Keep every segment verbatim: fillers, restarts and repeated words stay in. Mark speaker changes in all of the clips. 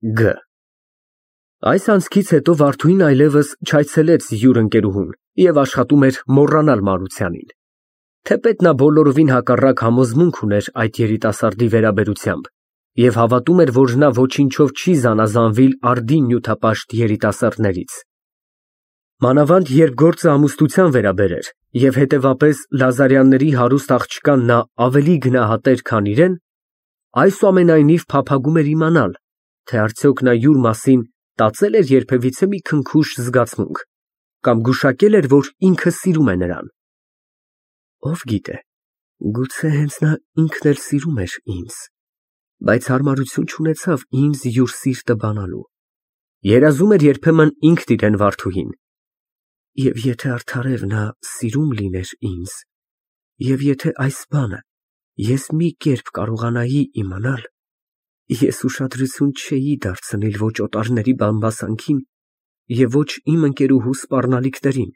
Speaker 1: Գ Այս անցքից հետո Վարդուհին այլևս չայցելեց յուր ընկերուհուն և աշխատում էր մոռանալ Մարությանին, թեպետ նա բոլորովին հակառակ համոզմունք ուներ այդ երիտասարդի վերաբերությամբ և հավատում էր, որ նա ոչնչով չի զանազանվիլ արդի նյութապաշտ երիտասարդներից, մանավանդ երբ գործը ամուսնության վերաբերեր և հետևապես Լազարյանների հարուստ աղջկան նա ավելի գնահատեր, քան իրեն, այսուամենայնիվ փափագում էր իմանալ, թե արդյոք նա յուր մասին տածե՞լ էր երբևիցե մի քնքուշ զգացմունք կամ գուշակե՞լ էր, որ ինքը սիրում է նրան։ Ով գիտե, գուցե հենց նա ինքն էլ սիրում էր ինձ, բայց հարմարություն չունեցավ ինձ յուր սիրտը բանալու, երազում էր երբեմն ինքն իրեն Վարդուհին, և եթե արդարև նա սիրում լիներ ինձ, և եթե այս բանը ես մի կերպ կարողանայի իմանալ, ես ուշադրություն չէի դարձնիլ ոչ օտարների բամբասանքին և ոչ իմ ընկերուհու սպառնալիքներին,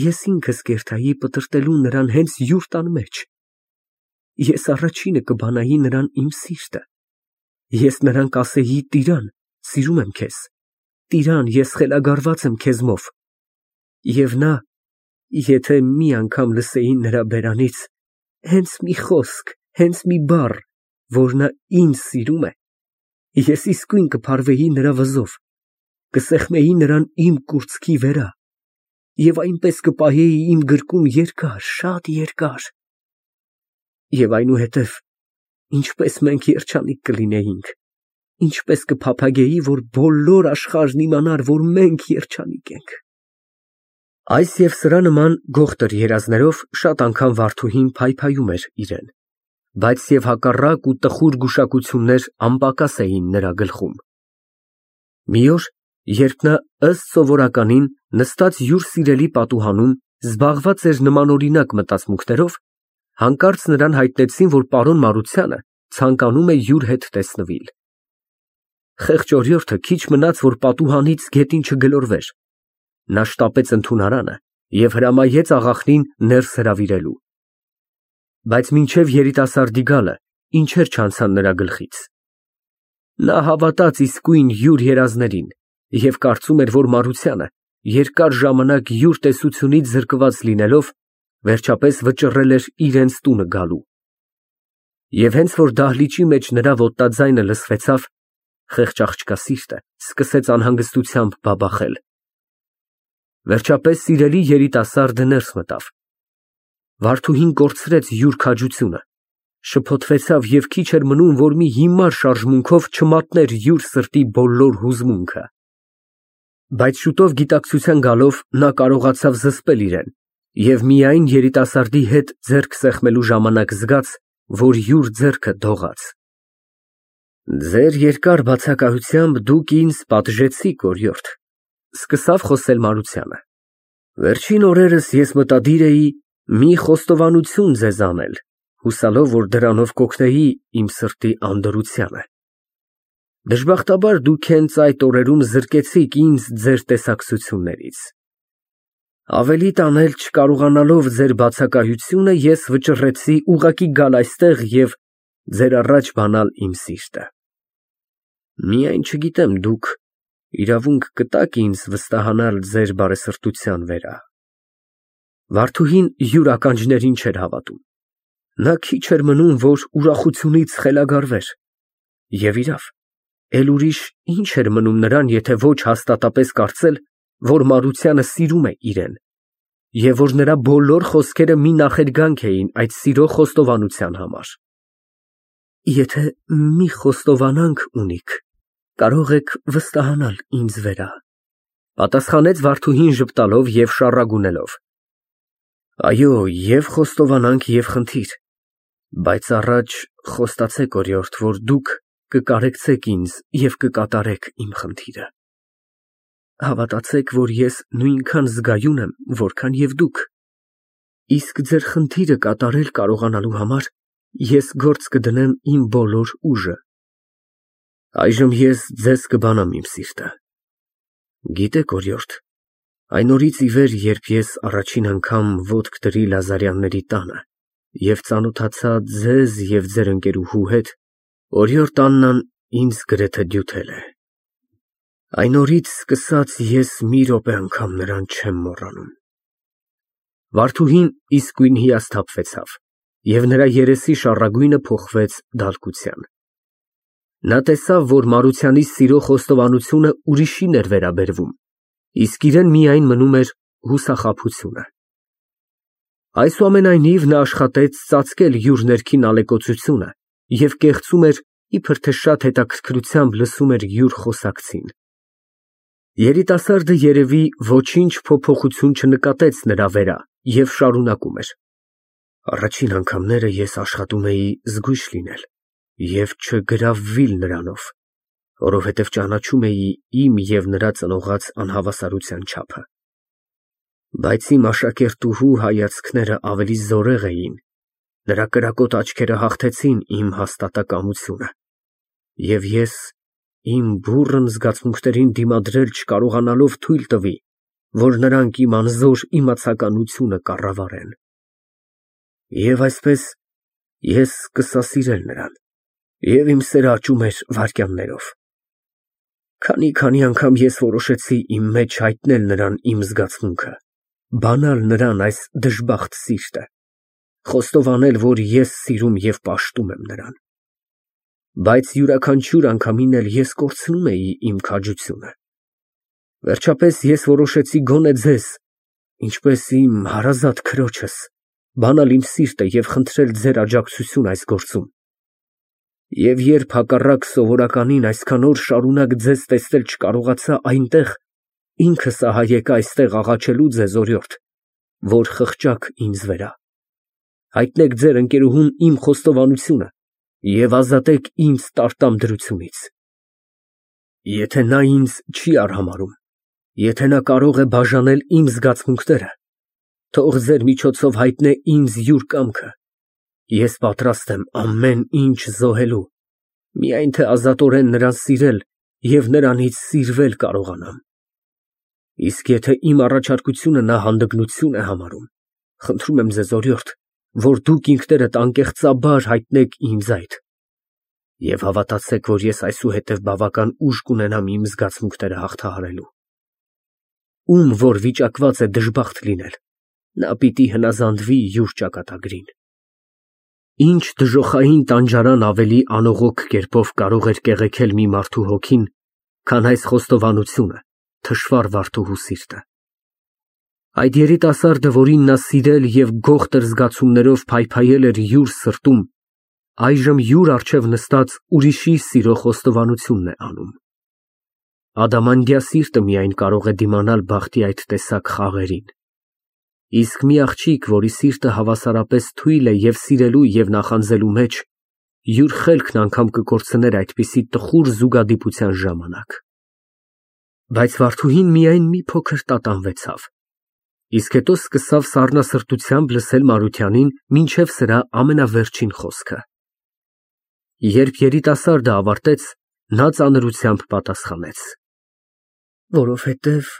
Speaker 1: ես ինքս կերտայի պտրտելու նրան հենց յուր տան մեջ, ես առաջինը կբանայի նրան իմ սիրտը, ես նրան կասեի տիրան, սիրում եմ քեզ, տիրան, ես խելագարված եմ քեզմով, և նա, եթե մի անգամ լսեի նրա բերանից հենց մի խոսք, հենց մի բառ, որ նա ինձ սիրում է, ես իսկույն կփարվեի նրա վզով, կսեղմեի նրան իմ կուրծքի վերա և այնպես կպահեի իմ գրկում երկար, շատ երկար, և այնուհետև ինչպես մենք երջանիկ կլինեինք, ինչպես կփափագեի, որ բոլոր աշխարհն իմանար, որ մենք երջանիկ ենք։ Այս և սրա նման գողտր երազներով շատ անգամ Վարդուհին փայփայում էր իրեն, բայց և հակառակ ու տխուր գուշակություններ անպակաս էին նրա գլխում։ Մի օր, երբ նա ըստ սովորականին նստած յուր սիրելի պատուհանում զբաղված էր նմանօրինակ մտածմունքներով, հանկարծ նրան հայտնեցին, որ պարոն Մարությանը ցանկանում է յուր հետ տեսնվիլ։ Խեղճ օրիորդը քիչ մնաց, որ պատուհանից գետին չգլորվեր, նա շտապեց ընդունարանը և հրամայեց աղախնին ներս հրավիրելու, բայց մինչև երիտասարդի գալը ինչեր չանցան նրա գլխից։ Նա հավատաց իսկույն յուր երազներին և կարծում էր, որ Մարությանը, երկար ժամանակ յուր տեսությունից զրկված լինելով, վերջապես վճռել էր իրենց տունը գալու։ Եվ հենց որ դահլիճի մեջ նրա ոտնաձայնը լսվեցավ, խեղճ աղջկա սիրտը սկսեց անհանգստությամբ բաբախել։ Վերջապես սիրելի երիտասարդը ներս մտավ։ Վարդուհին կորցրեց յուր քաջությունը, շփոթվեցավ և քիչ էր մնում, որ մի հիմար շարժմունքով չմատներ յուր սրտի բոլոր հուզմունքը։ Բայց շուտով գիտակցության գալով նա կարողացավ զսպել իրեն և միայն երիտասարդի հետ ձեռք սեղմելու ժամանակ զգաց, որ յուր ձեռքը դողաց։ Ձեր երկար բացակայությամբ դուք ինձ պատժեցիք, օրիորդ, սկսավ խոսել Մարությանը, վերջին օրերս ես մտադիր էի մի խոստովանություն ձեզ անել, հուսալով, որ դրանով կօգնեի իմ սրտի անդորրությանը։ Դժբախտաբար դուք հենց այդ օրերում զրկեցիք ինձ ձեր տեսակցություններից։ Ավելի տանել չկարողանալով ձեր բացակայությունը, ես վճռեցի ուղղակի գալ այստեղ և ձեր առաջ բանալ իմ սիրտը։ Միայն չգիտեմ դուք իրավունք կտա՞ք ինձ վստահանալ ձեր բարեսրտության վրա։ Վարդուհին յուր ականջներին չէր հավատում։ Նա քիչ էր մնում, որ ուրախությունից խելագարվեր։ Եվ իրավ, էլ ուրիշ ինչ էր մնում նրան, եթե ոչ հաստատապես կարծել, որ Մարությանը սիրում է իրեն, և որ նրա բոլոր խոսքերը մի նախերգանք էին այդ սիրո խոստովանության համար։ Եթե մի խոստովանանք ունիք, կարող եք վստահանալ ինձ վրա, պատասխանեց Վարդուհին ժպտալով և շառագունելով։ Այո, և խոստովանանք, և խնդիր, բայց առաջ խոստացեք, օրիորդ, որ դուք կկարեկցեք ինձ և կկատարեք իմ խնդիրը։ Հավատացեք, որ ես նույնքան զգայուն եմ, որքան և դուք, իսկ ձեր խնդիրը կատարել կարողանալու համար ես գործ կդնեմ իմ բոլոր ուժը։ Այժմ ես ձեզ կբանամ իմ սիրտը։ Գիտեք, օրիորդ, այն օրից ի վեր, երբ ես առաջին անգամ ոտք դրի Լազարյանների տանը և ծանոթացա ձեզ և ձեր ընկերուհու հետ, օրիորդ Աննան ինձ գրեթե դյութել է։ Այն օրից սկսած ես մի րոպե անգամ նրան չեմ մոռանում։ Վարդուհին իսկույն հիասթափվեցավ, և նրա երեսի շառագույնը փոխվեց դալկության։ Նա տեսավ, որ Մարությանի սիրո խոստովանությունը ուրիշին էր վերաբերվում, իսկ իրեն միայն մնում էր հուսախաբությունը։ Այսուամենայնիվ, նա աշխատեց ծածկել յուր ներքին ալեկոծությունը և կեղծում էր, իբր թե շատ հետաքրքրությամբ լսում էր յուր խոսակցին։ Երիտասարդը երևի ոչինչ փոփոխություն չնկատեց նրա վրա և շարունակում էր. Առաջին անգամները ես աշխատում էի զգույշ լինել և չգրավվիլ նրանով, որովհետև ճանաչում էի իմ և նրա ծնողած անհավասարության չափը։ Բայց իմ աշակերտուհու հայացքները ավելի զորեղ էին, նրա կրակոտ աչքերը հաղթեցին իմ հաստատակամությունը, և ես իմ բուռն զգացմունքներին դիմադրել չկարողանալով թույլ տվի, որ նրանք իմ անզոր իմացականությունը կառավարեն։ Եվ այսպես ես սկսա սիրել նրան, և իմ սերը աճում էր վայրկյաններով։ Քանի֊քանի անգամ ես որոշեցի իմ մեջ հայտնել նրան իմ զգացմունքը, բանալ նրան այս դժբախտ սիրտը, խոստովանել, որ ես սիրում և պաշտում եմ նրան։ Բայց յուրաքանչյուր անգամին էլ ես կորցնում էի իմ քաջությունը։ Վերջապես ես որոշեցի գոնե ձեզ, ինչպես իմ հարազատ քրոջս, բանալ իմ սիրտը և խնդրել ձեր աջակցություն այս գործում։ Եվ երբ հակառակ սովորականին այսքան օր շարունակ ձեզ տեսնել չկարողացա այնտեղ, ինքս ահա եկա այստեղ աղաչելու ձեզ օրիորդ, որ խղճաք ինձ վրա, հայտնեք ձեր ընկերուհուն իմ խոստովանությունը և ազատեք ինձ տարտամ դրությունից։ Եթե նա ինձ չի արհամարհում, եթե նա կարող է բաժանել իմ զգացմունքները, թող ձեր միջոցով հայտնե ինձ յուր կամքը, ես պատրաստ եմ ամեն ինչ զոհելու, միայն թե ազատորեն նրան սիրել և նրանից սիրվել կարողանամ։ Իսկ եթե իմ առաջարկությունը նա հանդգնություն է համարում, խնդրում եմ ձեզ օրիորդ, որ դուք ինքներդ անկեղծաբար հայտնեք ինձ այդ, և հավատացեք, որ ես այսուհետև բավական ուժ կունենամ իմ զգացմունքները հաղթահարելու։ Ում որ վիճակված է դժբախտ լինել, նա պիտի հնազանդվի յուր ճակատագրին։ Ինչ դժոխային տանջարան ավելի անողոք կերպով կարող էր կեղեքել մի մարդու հոգին, քան այս խոստովանությունը, թշվառ վարդուհու սիրտը։ Այդ երիտասարդը, որին նա սիրել և գողտր զգացումներով փայփայել էր յուր սրտում, այժմ յուր առջև նստած ուրիշի սիրո խոստովանությունն է անում։ Ադամանդյա սիրտը միայն կարող է դիմանալ բախտի այդ տեսակ խաղերին, իսկ մի աղջիկ, որի սիրտը հավասարապես թույլ է և սիրելու և նախանձելու մեջ, յուր խելքն անգամ կկորցներ այդպիսի տխուր զուգադիպության ժամանակ։ Բայց վարդուհին միայն մի փոքր տատանվեցավ, իսկ հետո սկսավ սառնասրտությամբ լսել Մարությանին մինչև սրա ամենավերջին խոսքը։ Երբ երիտասարդը ավարտեց, նա ծանրությամբ պատասխանեց. Որովհետև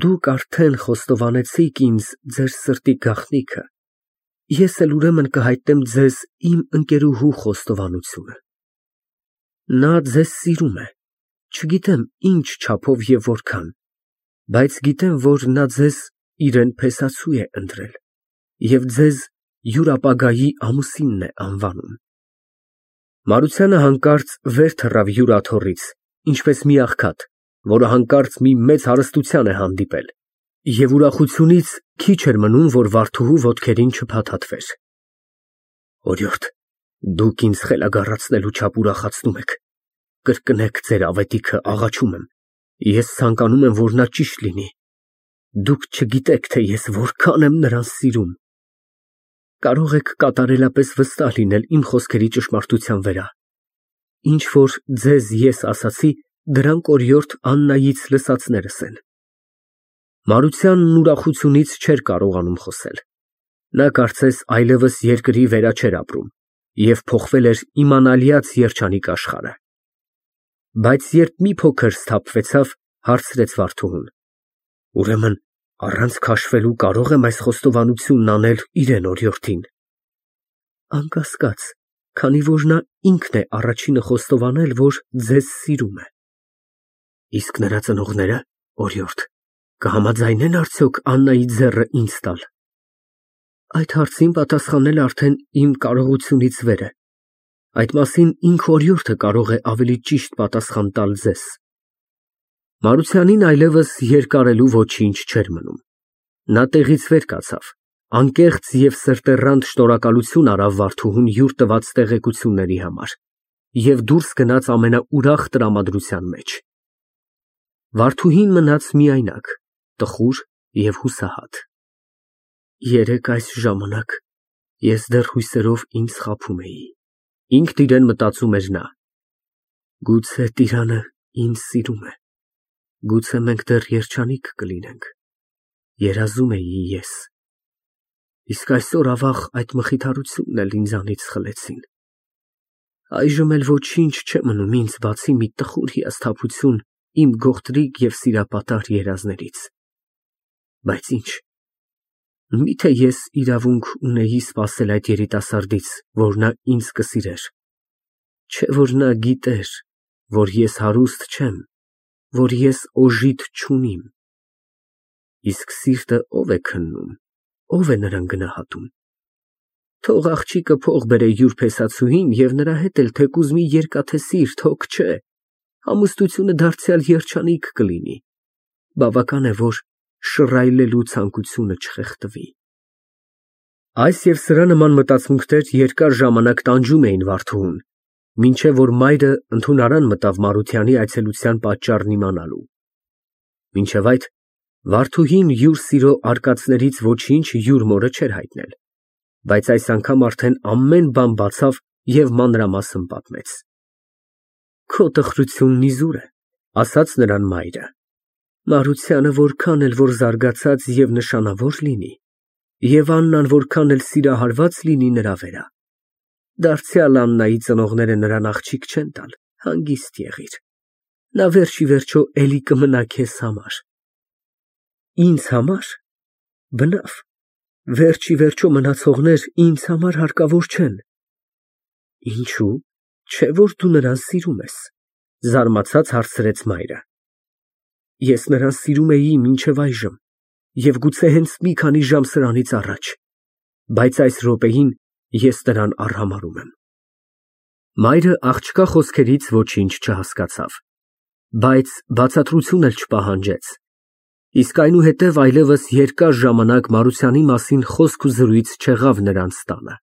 Speaker 1: դուք արդեն խոստովանեցիք ինձ ձեր սրտի գաղտնիքը, ես էլ ուրեմն կհայտնեմ ձեզ իմ ընկերուհու խոստովանությունը։ Նա ձեզ սիրում է, չգիտեմ ինչ չափով և որքան, բայց գիտեմ, որ նա ձեզ իրան փեսացու է ընտրել և ձեզ յուր ապագայի ամուսինն է անվանում։ Մարությանը հանկարծ վեր թռավ յուր աթոռից, ինչպես մի աղքատ, որը հանկարծ մի մեծ հարստության է հանդիպել, և ուրախությունից քիչ էր մնում, որ վարդուհու ոտքերին չփաթաթվեր։ Օրիորդ, դուք ինձ խելագարացնելու չափ ուրախացնում եք, կրկնեք ձեր ավետիքը, աղաչում եմ, ես ցանկանում եմ, որ նա ճիշտ լինի, դուք չգիտեք, թե ես որքան եմ նրան սիրում։ Կարող եք կատարելապես վստահ լինել իմ խոսքերի ճշմարտության վրա։ Ինչ որ ձեզ ես ասացի, դրանք օրիորդ Աննայից լսածներս են։ Մարությանն ուրախությունից չէր կարողանում խոսել։ Նա կարծես այլևս երկրի վերա չէր ապրում և փոխվել էր իմանալյաց երջանիկ աշխարհը։ Բայց երբ մի փոքր սթափվեցավ, հարցրեց վարդուհուն. Ուրեմն առանց քաշվելու կարո՞ղ եմ այս խոստովանությունն անել իրան օրիորդին։ Անկասկած, քանի որ նա ինքն է առաջինը խոստովանել, որ ձեզ սիրում է։ Իսկ նրա ծնողները, օրիորդ, կհամաձայնեն արդյոք Աննայի ձեռը ինձ տալ։ Այդ հարցին պատասխանել արդեն իմ կարողությունից վեր է։ Այդ մասին ինքն օրիորդը կարող է ավելի ճիշտ պատասխան տալ ձեզ։ Մարությանին այլևս երկարելու ոչինչ չէր մնում։ Նա տեղից վեր կացավ, անկեղծ և սրտեռանդ շնորհակալություն արավ Վարդուհուն յուր տված տեղեկությունների համար և դուրս գնաց ամենաուրախ տրամադրության մեջ։ Վարդուհին մնաց միայնակ, տխուր և հուսահատ։ Երեկ այս ժամանակ ես դեռ հույսերով ինձ խաբում էի, ինքն իրեն մտածում էր նա։ Գուցե տիրանը ինձ սիրում է, գուցե մենք դեռ երջանիկ կլինենք, երազում էի ես։ Իսկ այսօր, ավաղ, այդ մխիթարությունն էլ ինձանից խլեցին։ Այժմ էլ ոչինչ չէ մնում ինձ, բացի մի տխուր հիասթափություն իմ գողտրիկ և սիրապատար երազներից։ Բայց ինչ, միթե ես իրավունք ունեի սպասել այդ երիտասարդից, որ նա ինձ կսիրեր, չէ՞ որ նա գիտեր, որ ես հարուստ չեմ, որ ես օժիտ չունիմ։ Իսկ սիրտը ո՞վ է քննում, ո՞վ է նրան գնահատում։ Թող աղջիկը փող բերե յուր փեսացուհին և նրա հետ էլ թեկուզ մի երկաթե սիրտ, հոգ չէ, ամուսնությունը դարձյալ երջանիկ կլինի, բավական է, որ շռայլելու ցանկությունը չխեղդվի։ Այս և սրա նման մտածմունքներ երկար ժամանակ տանջում էին Վարդուհուն, մինչև որ մայրը ընդունարան մտավ Մարությանի այցելության պատճառն իմանալու։ Մինչև այդ Վարդուհին յուր սիրո արկածներից ոչինչ յուր մորը չէր հայտնել, բայց այս անգամ արդեն ամեն բան բացավ և մանրամասն պատմեց։ Քո տխրությունն իզուր է, ասաց նրան մայրը։ Մարությանը որքան էլ որ զարգացած և նշանավոր լինի, և Աննան որքան էլ սիրահարված լինի նրա վրա, դարձյալ Աննայի ծնողները նրան աղջիկ չեն տալ, հանգիստ եղիր, նա վերջ ի վերջո էլի կմնա քեզ համար։ Ինձ համար, բնավ, վերջ ի վերջո մնացողներ ինձ համար հարկավոր չեն։ Ինչո՞ւ, չէ՞ որ դու նրան սիրում ես, զարմացած հարցրեց մայրը։ Ես նրան սիրում էի մինչև այժմ և գուցե հենց մի քանի ժամ սրանից առաջ, բայց այս րոպեին ես նրան արհամարհում եմ։ Մայրը աղջկա խոսքերից ոչինչ չհասկացավ, բայց բացատրություն էլ չպահանջեց, իսկ այնուհետև այլևս երկար ժամանակ Մարությանի մասին խոսք ու զրույց չեղավ նրանց տանը։